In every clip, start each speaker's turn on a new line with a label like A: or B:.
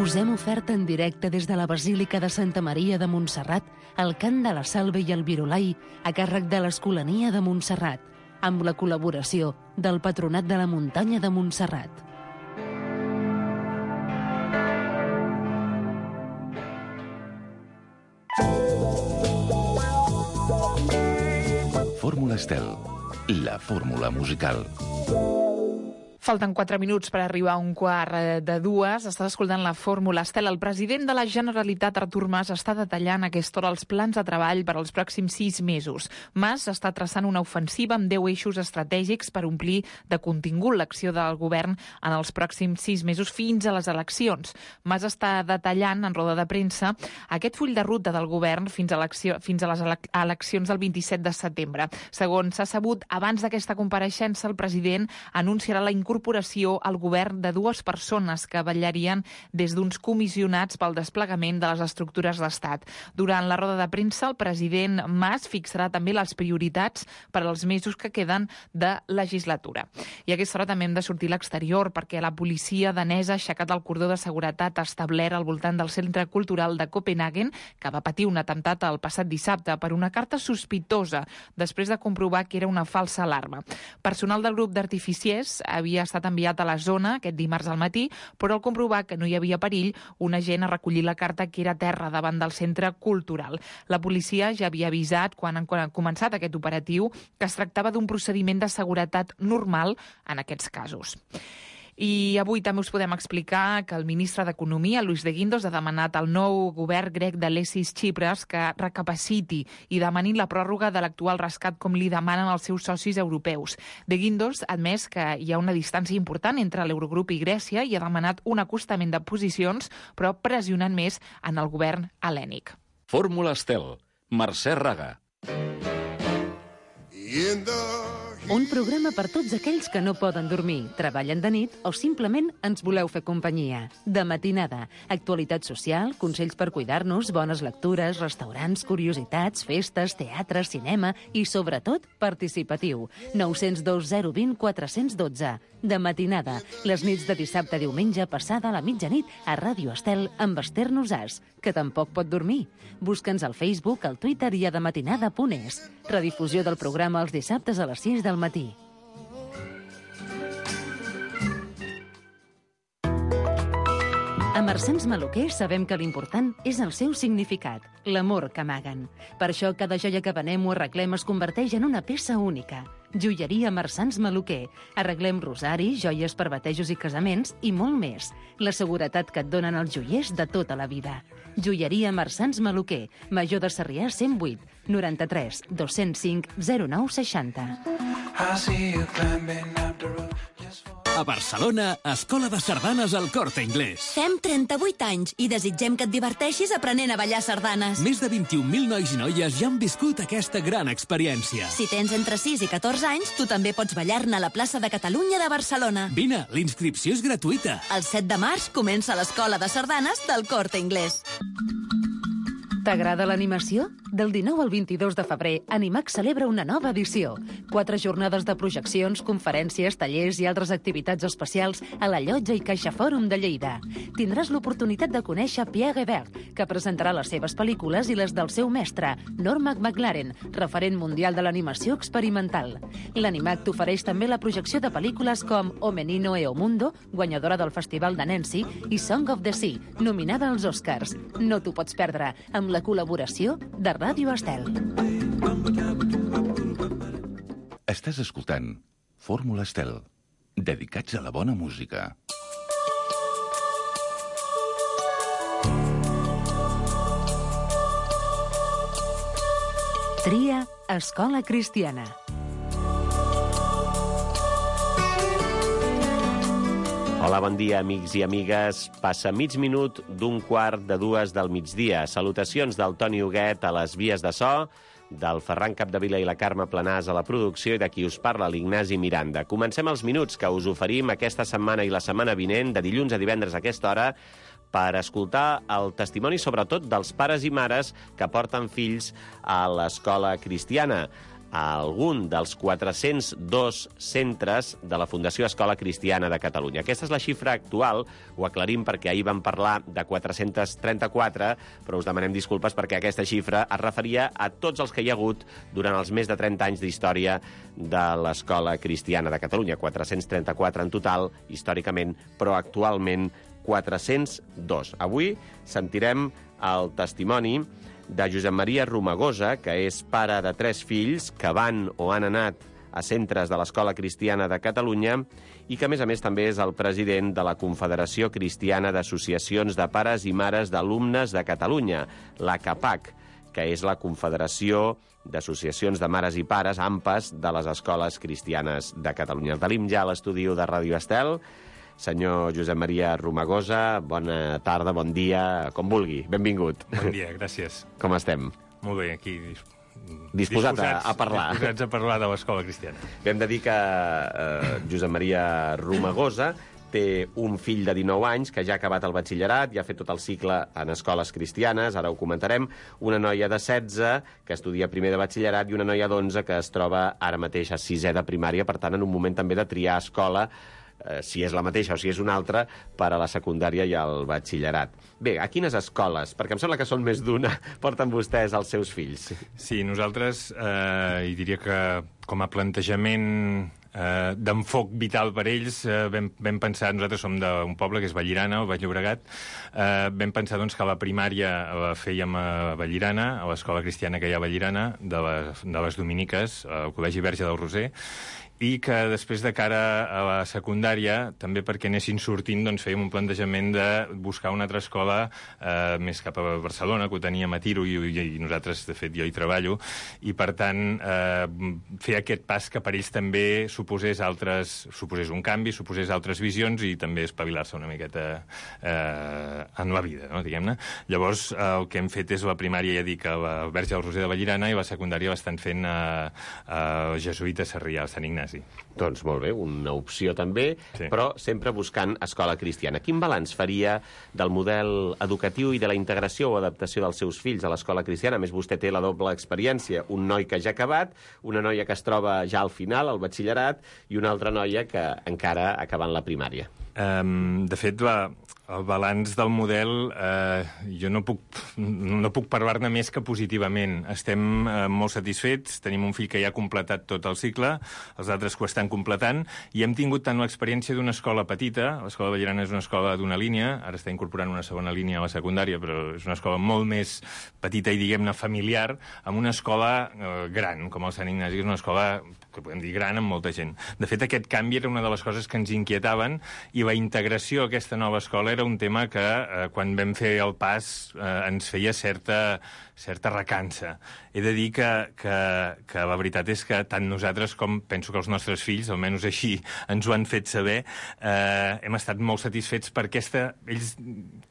A: Us hem ofert en directe des de la Basílica de Santa Maria de Montserrat el cant de la Salve i el Virolai a càrrec de l'Escolania de Montserrat, amb la col·laboració del Patronat de la Muntanya de Montserrat.
B: Fórmula Estel, la fórmula musical.
C: Falten 4 minuts per arribar a 1:15. Estàs escoltant la Fórmula Estel. El president de la Generalitat, Artur Mas, està detallant a aquesta hora els plans de treball per als pròxims 6 mesos. Mas està traçant una ofensiva amb 10 eixos estratègics per omplir de contingut l'acció del govern en els pròxims 6 mesos fins a les eleccions. Mas està detallant en roda de premsa aquest full de ruta del govern fins a les eleccions del 27 de setembre. Segons s'ha sabut, abans d'aquesta compareixença, el president anunciarà la incorporació al govern de 2 persones que vetllarien des d'uns comissionats pel desplegament de les estructures d'estat. Durant la roda de premsa, el president Mas fixarà també les prioritats per als mesos que queden de legislatura. I a aquesta hora també hem de sortir a l'exterior perquè la policia danesa ha aixecat el cordó de seguretat establert al voltant del Centre Cultural de Copenhagen, que va patir un atemptat el passat dissabte per una carta sospitosa després de comprovar que era una falsa alarma. Personal del grup d'artificiers havia estat enviat a la zona aquest dimarts al matí, però al comprovar que no hi havia perill, un agent ha recollit la carta que era a terra davant del centre cultural. La policia ja havia avisat, quan han començat aquest operatiu, que es tractava d'un procediment de seguretat normal en aquests casos. I avui també us podem explicar que el ministre d'Economia, Luis de Guindos, ha demanat al nou govern grec d'Alexis Tsipras que recapaciti i demani la pròrroga de l'actual rescat com li demanen els seus socis europeus. De Guindos ha admès que hi ha una distància important entre l'Eurogrup i Grècia i ha demanat un acostament de posicions, però pressionant més en el govern hel·lènic.
B: Fórmula Estel, Mercè Raga.
A: Un programa per tots aquells que no poden dormir, treballen de nit o simplement ens voleu fer companyia. De matinada, actualitat social, consells per cuidar-nos, bones lectures, restaurants, curiositats, festes, teatre, cinema i, sobretot, participatiu. 902 020 412. De matinada, les nits de dissabte a diumenge passada a la mitjanit a Ràdio Estel amb Esther Nosàs, que tampoc pot dormir. Busca'ns al Facebook, al Twitter i a dematinada.es. Redifusió del programa els dissabtes a les 6 del matí. A Marsans Maluquer sabem que l'important és el seu significat, l'amor que amaguen. Per això cada joia que venem o arreglem es converteix en una peça única. Joieria Marsans Maluquer. Arreglem rosaris, joies per batejos i casaments i molt més. La seguretat que et donen els joiers de tota la vida. Joieria Marsans Maluquer. Major de Sarrià 108 93 205 09 60.
D: A Barcelona, Escola de Sardanes al Corte Inglés.
E: Fem 38 anys i desitgem que et diverteixis aprenent a ballar sardanes.
D: Més de 21.000 nois i noies ja han viscut aquesta gran experiència.
E: Si tens entre 6 i 14 anys, tu també pots ballar-ne a la plaça de Catalunya de Barcelona.
D: Vine, l'inscripció és gratuïta.
E: El 7 de març comença l'Escola de Sardanes del Corte Inglés.
A: T'agrada l'animació? Del 19 al 22 de febrer, Animax celebra una nova edició. 4 jornades de projeccions, conferències, tallers i altres activitats especials a la Llotja i Caixa Fòrum de Lleida. Tindràs l'oportunitat de conèixer Pierre Hébert, que presentarà les seves pel·lícules i les del seu mestre, Norman McLaren, referent mundial de l'animació experimental. L'Animax t'ofereix també la projecció de pel·lícules com O Menino e o Mundo, guanyadora del Festival de Nancy, i Song of the Sea, nominada als Oscars. No t'ho pots perdre, amb la col·laboració de Ràdio Estel.
B: Estàs escoltant Fórmula Estel, dedicats a la bona música.
A: Tria Escola Cristiana.
F: Hola, bon dia, amics i amigues. Passa mig minut d'un quart de 2 del migdia. Salutacions del Toni Huguet a les vies de so, del Ferran Capdevila i la Carme Planàs a la producció i de qui us parla, l'Ignasi Miranda. Comencem els minuts que us oferim aquesta setmana i la setmana vinent, de dilluns a divendres a aquesta hora, per escoltar el testimoni, sobretot, dels pares i mares que porten fills a l'escola cristiana. a algun dels 402 centres de la Fundació Escola Cristiana de Catalunya. Aquesta és la xifra actual, ho aclarim perquè ahir vam parlar de 434, però us demanem disculpes perquè aquesta xifra es referia a tots els que hi ha hagut durant els més de 30 anys d'història de l'Escola Cristiana de Catalunya. 434 en total, històricament, però actualment 402. Avui sentirem el testimoni de Josep Maria Romagosa, que és pare de 3 fills que van o han anat a centres de l'Escola Cristiana de Catalunya i que, a més, també és el president de la Confederació Cristiana d'Associacions de Pares i Mares d'Alumnes de Catalunya, la CAPAC, que és la Confederació d'Associacions de Mares i Pares, AMPAs, de les Escoles Cristianes de Catalunya. El tenim ja a l'estudi de Ràdio Estel. Senyor Josep Maria Romagosa, bona tarda, bon dia, com vulgui. Benvingut.
G: Bon dia, gràcies.
F: Com estem?
G: Molt bé, aquí
F: disposats a parlar.
G: Disposats a parlar de l'Escola Cristiana.
F: Hem de dir que Josep Maria Romagosa té un fill de 19 anys que ja ha acabat el batxillerat, ja ha fet tot el cicle en escoles cristianes, ara ho comentarem, una noia de 16 que estudia primer de batxillerat i una noia d'11 que es troba ara mateix a 6è de primària, per tant, en un moment també de triar escola, si és la mateixa o si és una altra, per a la secundària i el batxillerat. Bé, a quines escoles? Perquè em sembla que són més d'una, porten vostès els seus fills.
G: Sí, nosaltres, hi diria que com a plantejament d'enfoc vital per ells, vam pensar, nosaltres som d'un poble que és Vallirana, al Baix Llobregat, vam pensar doncs, que la primària la fèiem a Vallirana, a l'Escola Cristiana que hi ha a Vallirana, de les Dominiques, al Col·legi Verge del Roser, i que després de cara a la secundària, també perquè anessin sortint, doncs fèiem un plantejament de buscar una altra escola més cap a Barcelona, que ho teníem a tiro, i nosaltres, de fet, jo hi treballo, i per tant fer aquest pas que per ells també suposés un canvi, suposés altres visions i també espavilar-se una miqueta en la vida, no, diguem-ne. Llavors, el que hem fet és la primària, ja dic, a la Verge del Roser de Vallirana, i la secundària l'estan fent a Jesuïta Sarrià, al Sant Ignasi.
F: Doncs molt bé, una opció també,
G: sí,
F: però sempre buscant escola cristiana. Quin balanç faria del model educatiu i de la integració o adaptació dels seus fills a l'escola cristiana? A més, vostè té la doble experiència, un noi que ja ha acabat, una noia que es troba ja al final, al batxillerat, i una altra noia que encara acabant la primària.
G: De fet, el balanç del model, jo no puc parlar-ne més que positivament. Estem molt satisfets, tenim un fill que ja ha completat tot el cicle, els altres que ho estan completant, i hem tingut tant l'experiència d'una escola petita, l'Escola Vallirana és una escola d'una línia, ara està incorporant una segona línia a la secundària, però és una escola molt més petita i, diguem-ne, familiar, amb una escola gran, com el Sant Ignasi, és una escola que podem dir gran amb molta gent. De fet, aquest canvi era una de les coses que ens inquietaven, i la integració a aquesta nova escola era un tema que, quan vam fer el pas, ens feia certa recança. He de dir que la veritat és que tant nosaltres com penso que els nostres fills, almenys així ens ho han fet saber, hem estat molt satisfets perquè ells,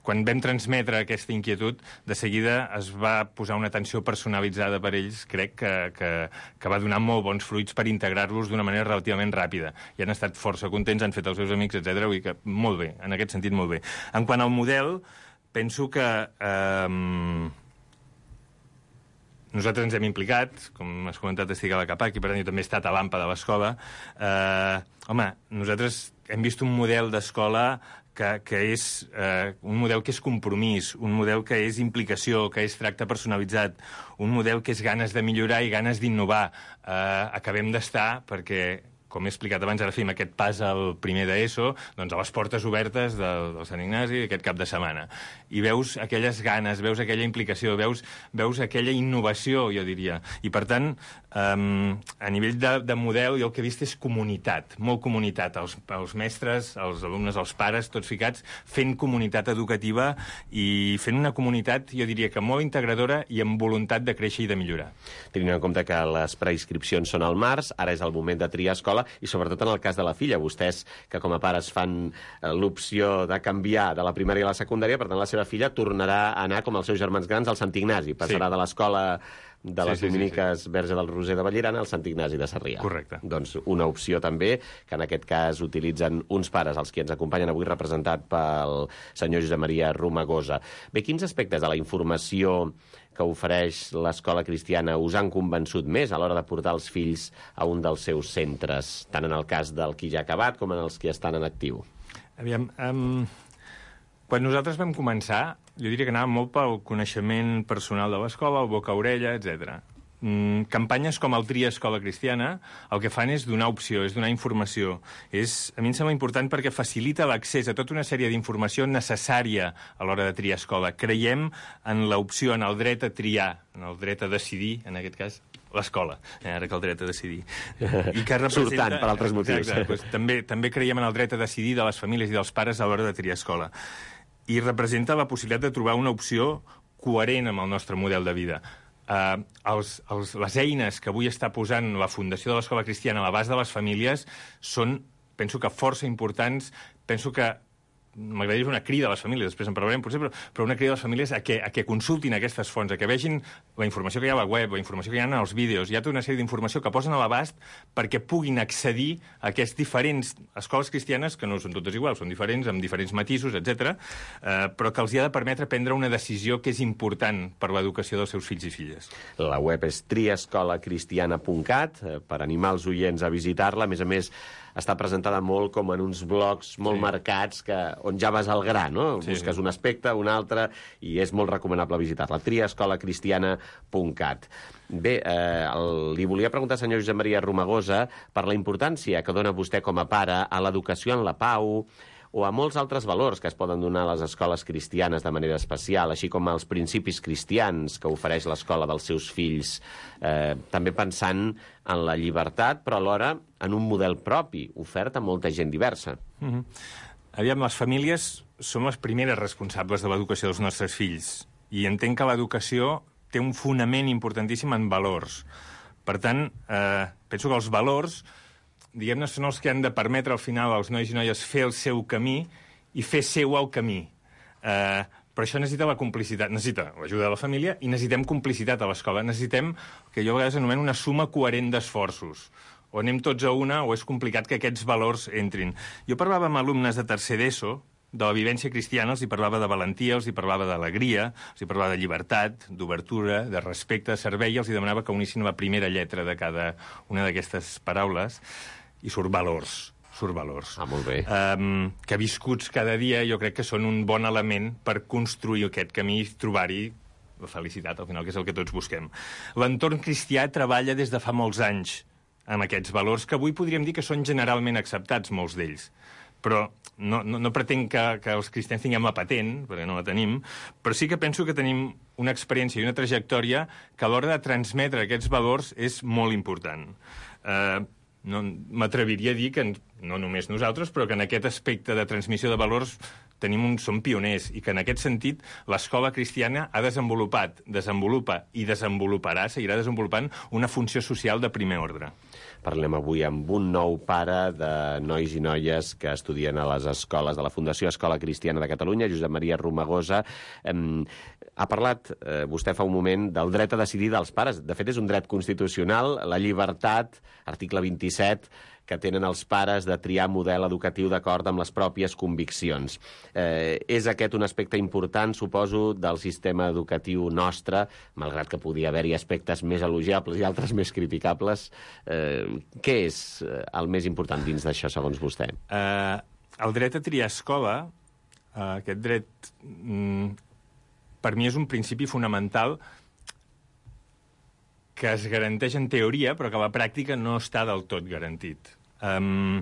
G: quan vam transmetre aquesta inquietud, de seguida es va posar una atenció personalitzada per ells, crec que va donar molt bons fruits per integrar-los d'una manera relativament ràpida. I han estat força contents, han fet els seus amics, etc. Vull dir que molt bé, en aquest sentit molt bé. En quant al model, penso que nosaltres ens hem implicat, com has comentat, estic a la CAPAC, i per tant jo també he estat a l'AMPA de l'escola. Home, nosaltres hem vist un model d'escola que és un model que és compromís, un model que és implicació, que és tracte personalitzat, un model que és ganes de millorar i ganes d'innovar. Acabem d'estar, perquè, com he explicat abans, ara fem aquest pas al primer d'ESO, doncs a les portes obertes del Sant Ignasi aquest cap de setmana. I veus aquelles ganes, veus aquella implicació, veus aquella innovació, jo diria. I, per tant, a nivell de model, jo el que he vist és comunitat, molt comunitat. Els mestres, els alumnes, els pares, tots ficats, fent comunitat educativa i fent una comunitat, jo diria que molt integradora i amb voluntat de créixer i de millorar.
F: Tenint en compte que les preinscripcions són al març, ara és el moment de triar escola, i sobretot en el cas de la filla, vostès que com a pares fan l'opció de canviar de la primària a la secundària, per tant la seva filla tornarà a anar com els seus germans grans al Sant Ignasi, passarà de l'escola de les Dominiques Verge del Roser de Vallirana al Sant Ignasi de Sarrià.
G: Correcte.
F: Doncs una opció també, que en aquest cas utilitzen uns pares, els qui ens acompanyen avui, representat pel senyor Josep Maria Romagosa. Bé, quins aspectes de la informació que ofereix l'Escola Cristiana us han convençut més a l'hora de portar els fills a un dels seus centres, tant en el cas del qui ja ha acabat com en els que estan en actiu?
G: Aviam, quan nosaltres vam començar, jo diria que anava molt pel coneixement personal de l'escola, el boca-orella, etc. Campanyes com el Tria Escola Cristiana el que fan és donar opció, és donar informació. A mi em sembla important perquè facilita l'accés a tota una sèrie d'informació necessària a l'hora de triar escola. Creiem en l'opció, en el dret a triar, en el dret a decidir, en aquest cas, l'escola, ara que el dret a decidir. I que representa...
F: Surtant per altres motius.
G: Exacte, doncs, també creiem en el dret a decidir de les famílies i dels pares a l'hora de triar escola. I representa la possibilitat de trobar una opció coherent amb el nostre model de vida. Les eines que avui està posant la Fundació de l'Escola Cristiana a l'abast de les famílies són, penso que força importants, penso que m'agradaria fer una crida a les famílies, després en parlarem potser, però una crida a les famílies a que consultin aquestes fonts, a que vegin la informació que hi ha a la web, la informació que hi ha en els vídeos, hi ha tota una sèrie d'informació que posen a l'abast perquè puguin accedir a aquestes diferents escoles cristianes, que no són totes iguals, són diferents, amb diferents matisos, etc., però que els hi ha de permetre prendre una decisió que és important per l'educació dels seus fills i filles.
F: La web és triescolacristiana.cat, per animar els oients a visitar-la. A més, està presentada molt com en uns blocs molt marcats on ja vas al gra, no? Sí. Busques un aspecte, un altre, i és molt recomanable visitar-la. triescolacristiana.cat. Bé, li volia preguntar, senyor Josep Maria Romagosa, per la importància que dona vostè com a pare a l'educació en la pau, o a molts altres valors que es poden donar a les escoles cristianes de manera especial, així com als principis cristians que ofereix l'escola dels seus fills, també pensant en la llibertat, però alhora en un model propi, ofert a molta gent diversa.
G: Aviam, les famílies som les primeres responsables de l'educació dels nostres fills, i entenc que l'educació té un fonament importantíssim en valors. Per tant, penso que els valors, diguem-ne, són els que han de permetre al final als nois i noies fer el seu camí i fer seu el camí. Però això necessita la complicitat, necessita l'ajuda de la família i necessitem complicitat a l'escola. Necessitem, que jo a vegades anomeno, una suma coherent d'esforços. O anem tots a una o és complicat que aquests valors entrin. Jo parlava amb alumnes de tercer d'ESO, de la vivència cristiana, els hi parlava de valentia, els hi parlava d'alegria, els hi parlava de llibertat, d'obertura, de respecte, de servei, i els hi demanava que unissin la primera lletra de cada una d'aquestes paraules. I surt valors.
F: Molt bé.
G: Que viscuts cada dia jo crec que són un bon element per construir aquest camí i trobar-hi la felicitat, al final, que és el que tots busquem. L'entorn cristià treballa des de fa molts anys amb aquests valors que avui podríem dir que són generalment acceptats, molts d'ells. Però no pretenc que els cristians tinguem la patent, perquè no la tenim, però sí que penso que tenim una experiència i una trajectòria que a l'hora de transmetre aquests valors és molt important. M'atreviria a dir que, no només nosaltres, però que en aquest aspecte de transmissió de valors som pioners, i que en aquest sentit l'escola cristiana ha desenvolupat, desenvolupa i desenvoluparà, seguirà desenvolupant una funció social de primer ordre.
F: Parlem avui amb un nou pare de nois i noies que estudien a les escoles de la Fundació Escola Cristiana de Catalunya, Josep Maria Romagosa. Ha parlat, vostè fa un moment, del dret a decidir dels pares. De fet, és un dret constitucional, la llibertat, article 27, que tenen els pares de triar model educatiu d'acord amb les pròpies conviccions. És aquest un aspecte important, suposo, del sistema educatiu nostre, malgrat que podia haver-hi aspectes més elogiables i altres més criticables. Què és el més important dins d'això, segons vostè?
G: El dret a triar escola, aquest dret, per mi és un principi fonamental que es garanteix en teoria, però que a la pràctica no està del tot garantit. El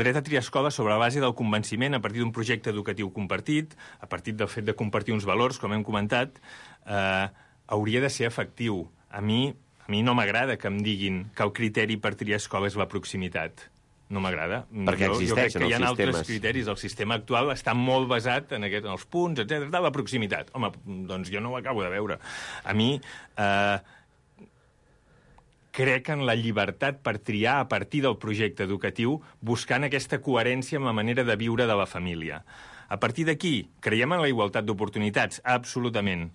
G: dret a triar escola sobre la base del convenciment, a partir d'un projecte educatiu compartit, a partir del fet de compartir uns valors, com hem comentat, hauria de ser efectiu. A mi no m'agrada que em diguin que el criteri per triar escola és la proximitat. No m'agrada.
F: Perquè existeixen els sistemes.
G: Jo crec que hi ha altres criteris. El sistema actual està molt basat en els punts, etc. de la proximitat. Home, doncs jo no ho acabo de veure. A mi crec en la llibertat per triar a partir del projecte educatiu, buscant aquesta coherència amb la manera de viure de la família. A partir d'aquí, creiem en la igualtat d'oportunitats? Absolutament.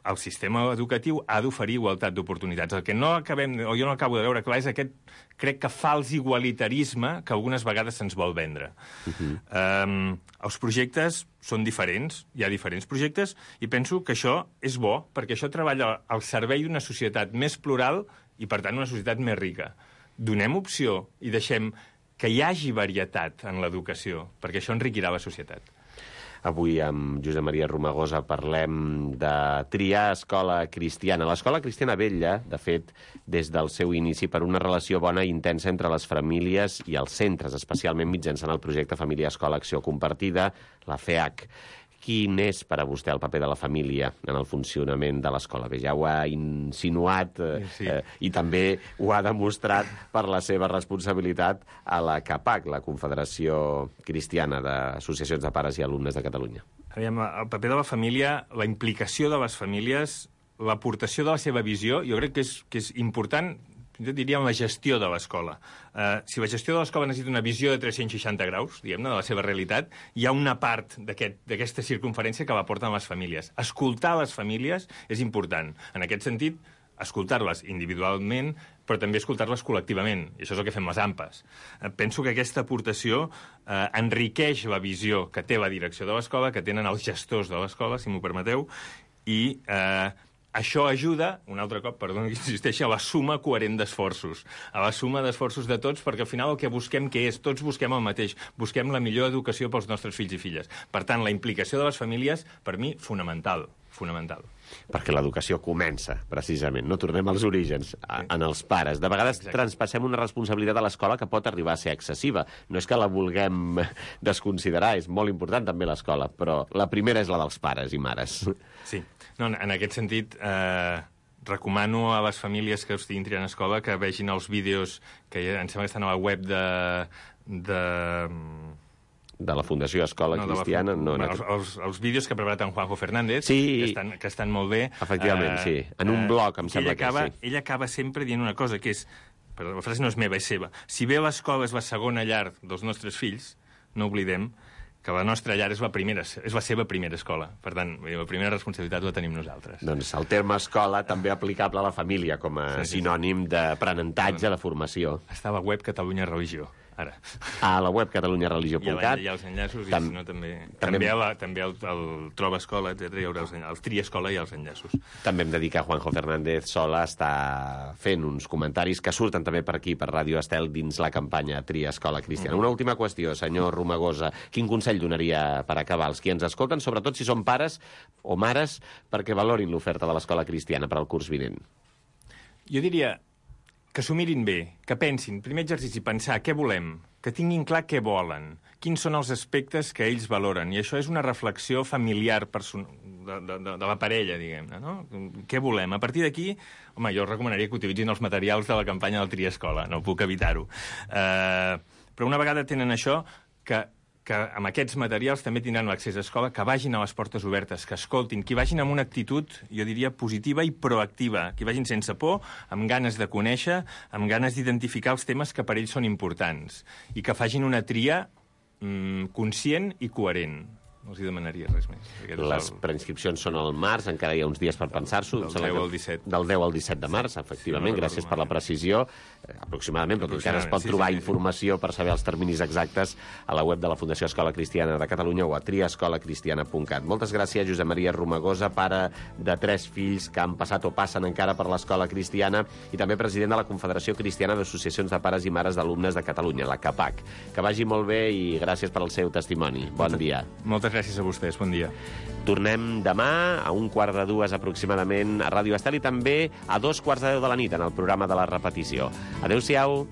G: el sistema educatiu ha d'oferir igualtat d'oportunitats. El que no acabem, o jo no acabo de veure clar, és aquest, crec que fals igualitarisme que algunes vegades se'ns vol vendre. Els projectes són diferents, hi ha diferents projectes, i penso que això és bo, perquè això treballa al servei d'una societat més plural i, per tant, una societat més rica. Donem opció i deixem que hi hagi varietat en l'educació, perquè això enriquirà la societat.
F: Avui amb Josep Maria Romagosa parlem de triar escola cristiana. L'escola cristiana vetlla, de fet, des del seu inici per una relació bona i intensa entre les famílies i els centres, especialment mitjançant el projecte Família Escola Acció Compartida, la FEAC. Quin és per a vostè el paper de la família en el funcionament de l'escola? Bé, ja ho ha insinuat i també ho ha demostrat per la seva responsabilitat a la CAPAC, la Confederació Cristiana d'Associacions de Pares i Alumnes de Catalunya.
G: El paper de la família, la implicació de les famílies, l'aportació de la seva visió, jo crec que és important, jo diria, la gestió de l'escola. Si la gestió de l'escola necessita una visió de 360 graus, diguem-ne, de la seva realitat, hi ha una part d'aquesta circunferència que la porten les famílies. Escoltar les famílies és important. En aquest sentit, escoltar-les individualment, però també escoltar-les col·lectivament. I això és el que fem les AMPAs. Penso que aquesta aportació enriqueix la visió que té la direcció de l'escola, que tenen els gestors de l'escola, si m'ho permeteu, i això ajuda, un altre cop, perdona que insisteixi, a la suma coherent d'esforços. A la suma d'esforços de tots, perquè al final el que busquem què és? Tots busquem el mateix. Busquem la millor educació pels nostres fills i filles. Per tant, la implicació de les famílies, per mi, fonamental. Fonamental.
F: Perquè l'educació comença, precisament. No tornem als orígens, en els pares. De vegades transpassem una responsabilitat a l'escola que pot arribar a ser excessiva. No és que la vulguem desconsiderar, és molt important també l'escola, però la primera és la dels pares i mares.
G: Sí. No, en aquest sentit, recomano a les famílies que estiguin triant escola que vegin els vídeos que em sembla que estan a la web
F: de la Fundació Escola Cristiana.
G: Els vídeos que ha preparat en Juanjo Fernández, que estan molt bé.
F: Efectivament, sí. En un blog, em sembla que sí.
G: Ell acaba sempre dient una cosa, que és, però la frase no és meva, és seva. Si bé l'escola és la segona llar dels nostres fills, no oblidem que la nostra llar és la seva primera escola. Per tant, la primera responsabilitat la tenim nosaltres.
F: Doncs el terme escola també aplicable a la família com a sinònim d'aprenentatge, de formació.
G: Està a la web Catalunya Religió, ara.
F: A la web catalunyareligió.cat.
G: Hi ha els enllaços, i si no també el Troba Escola, etc. Hi haurà el Tria Escola i els enllaços.
F: També hem de dir que Juanjo Fernández Sola està fent uns comentaris que surten també per aquí, per Ràdio Estel, dins la campanya Tria Escola Cristiana. Una última qüestió, senyor Romagosa. Quin consell donaria per acabar als qui ens escolten, sobretot si són pares o mares, perquè valorin l'oferta de l'escola cristiana per al curs vinent?
G: Jo diria que s'ho mirin bé, que pensin, primer exercici, pensar què volem, que tinguin clar què volen, quins són els aspectes que ells valoren. I això és una reflexió familiar de la parella, diguem-ne, no? Què volem? A partir d'aquí, home, jo recomanaria que utilitzin els materials de la campanya del Tria Escola, no puc evitar-ho. Però una vegada tenen això, que amb aquests materials també tindran l'accés a escola, que vagin a les portes obertes, que escoltin, que vagin amb una actitud, jo diria, positiva i proactiva, que vagin sense por, amb ganes de conèixer, amb ganes d'identificar els temes que per ells són importants, i que facin una tria conscient i coherent. No els hi demanaria res més.
F: Les preinscripcions són al març, encara hi ha uns dies per pensar-s'ho.
G: Del 10 al 17.
F: Del 10 al 17 de març, efectivament. Sí, gràcies per la precisió. Aproximadament, però encara es pot trobar informació per saber els terminis exactes a la web de la Fundació Escola Cristiana de Catalunya o a triaescolacristiana.cat. Moltes gràcies, Josep Maria Romagosa, pare de 3 fills que han passat o passen encara per l'escola cristiana i també president de la Confederació Cristiana d'Associacions de Pares i Mares d'Alumnes de Catalunya, la CAPAC. Que vagi molt bé i gràcies per al seu testimoni. Bon dia.
G: Moltes gràcies a vostès, bon dia.
F: Tornem demà a 1:45 aproximadament a Ràdio Estel i també a 2:15 de la nit en el programa de la repetició. Adéu-siau.